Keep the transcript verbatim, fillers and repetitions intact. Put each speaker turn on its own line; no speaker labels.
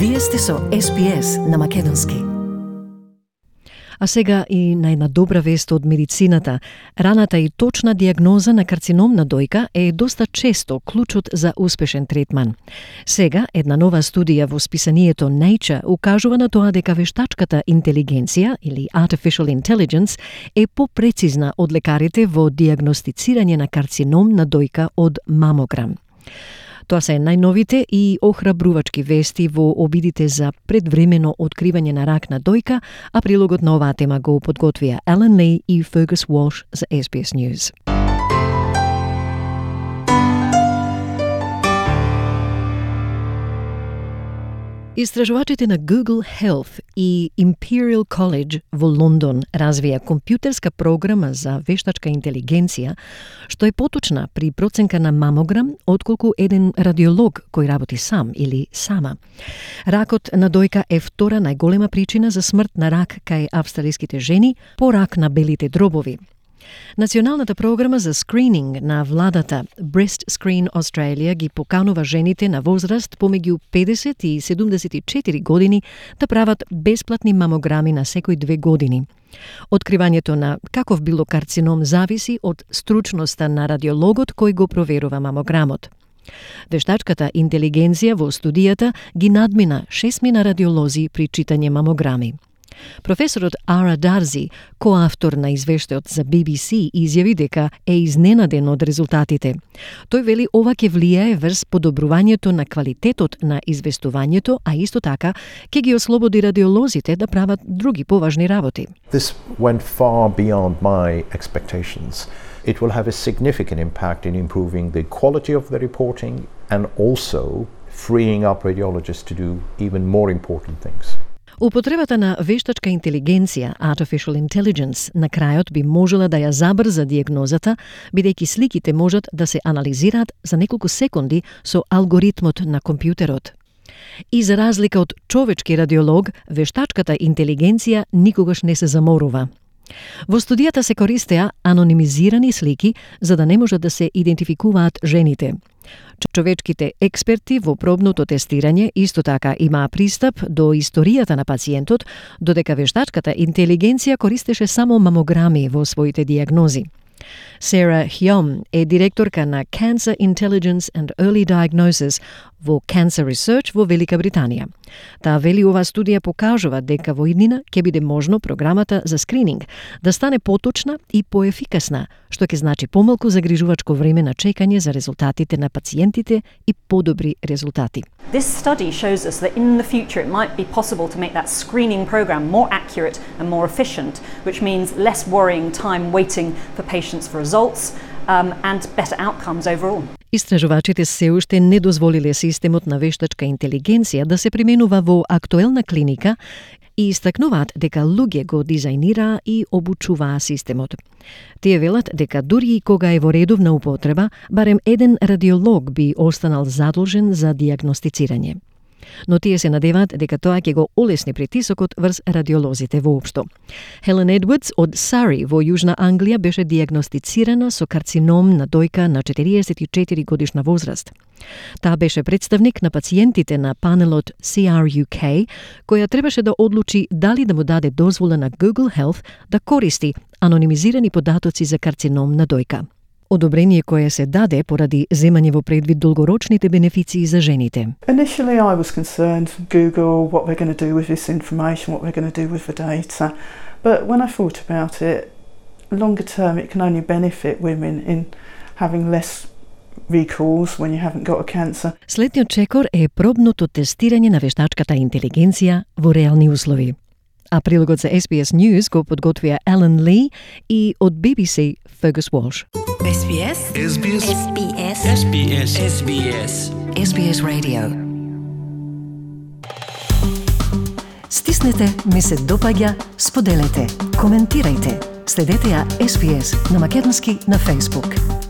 Вие сте со Ес Би Ес на македонски.
А сега и на една добра вест од медицината. Раната и точна диагноза на карцином на дојка е доста често клучот за успешен третман. Сега, една нова студија во списанието Nature укажува на тоа дека вештачката интелигенција, или Artificial Intelligence, е попрецизна од лекарите во диагностицирање на карцином на дојка од мамограм. Тоа се најновите и охрабрувачки вести во обидите за предвремено откривање на рак на дојка, а прилогот на оваа тема го подготвија Елен Ли и Fergus Walsh за Ес Би Ес News. Истражувачите на Google Health и Imperial College во Лондон развија компјутерска програма за вештачка интелигенција, што е поточна при проценка на мамограм отколку еден радиолог кој работи сам или сама. Ракот на дојка е втора најголема причина за смрт на рак кај австралиските жени, по рак на белите дробови. Националната програма за скрининг на владата Breast Screen Australia ги поканува жените на возраст помеѓу педесет и седумдесет и четири години да прават бесплатни мамограми на секој две години. Откривањето на каков било карцином зависи од стручноста на радиологот кој го проверува мамограмот. Вештачката интелигенција во студијата ги надмина шестмина радиолози при читање мамограми. Професорот Ара Дарзи, коавтор на извештајот за Би Би Си, изјави дека е изненаден од резултатите. Тој вели ова ќе влијае врз подобрувањето на квалитетот на известувањето, а исто така ќе ги ослободи радиолозите да прават други поважни работи.
This went far beyond my expectations. It will have a significant impact in improving the quality of the reporting and also freeing up radiologists to do even more important things.
Употребата на вештачка интелигенција, Artificial Intelligence, на крајот би можела да ја забрза диагнозата, бидејќи сликите можат да се анализираат за неколку секунди со алгоритмот на компјутерот. И за разлика од човечки радиолог, вештачката интелигенција никогаш не се заморува. Во студијата се користеа анонимизирани слики за да не можат да се идентификуваат жените. Човечките експерти во пробното тестирање исто така имаа пристап до историјата на пациентот, додека вештачката интелигенција користеше само мамограми во своите диагнози. Сара Хјом е директорка на Cancer Intelligence and Early Diagnosis во Cancer Research во Велика Британија. Таа вели оваа студија покажува дека во иднина ќе биде можно програмата за скрининг да стане поточна и поефикасна, што ќе значи помалку загрижувачко време на чекање за резултатите на пациентите и подобри резултати.
This study shows us that in the future it might be possible to make that screening program more accurate and more efficient, which means less worrying time waiting for patients for results um, and better outcomes overall.
Истражувачите се уште не дозволиле системот на вештачка интелигенција да се применува во актуелна клиника и истакнуваат дека луѓе го дизајнираа и обучуваа системот. Тие велат дека дури и кога е во редовна употреба, барем еден радиолог би останал задолжен за диагностицирање. Но тие се надеваат дека тоа ќе го олесни притисокот врз радиолозите воопшто. Хелен Едвардс од Сари во Јужна Англија беше диагностицирана со карцином на дојка на четириесет и четири годишна возраст. Таа беше представник на пациентите на панелот Си Ар Ю Кей, која требаше да одлучи дали да му даде дозвола на Google Health да користи анонимизирани податоци за карцином на дојка. Одобрение кое се даде поради земање во предвид долгорочните бенефиции за жените.
Initially I was concerned, Google, what we're going to do with this information, what we're going to do with the data. But when I thought about it, longer term it can only benefit women in having less recalls when you haven't got a cancer.
Следниот чекор е пробното тестирање на вештачката интелигенција во реални услови. А прилогот за Ес Би Ес News го подготвија Елен Ли и од Би Би Си Fergus Walsh.
Ес Би Ес.
Ес Би Ес.
Ес Би Ес.
Ес Би Ес. Ес Би Ес.
Ес Би Ес Radio. Стиснете, ми се допаѓа, споделете, коментирајте. Следете ја Ес Би Ес на македонски на Facebook.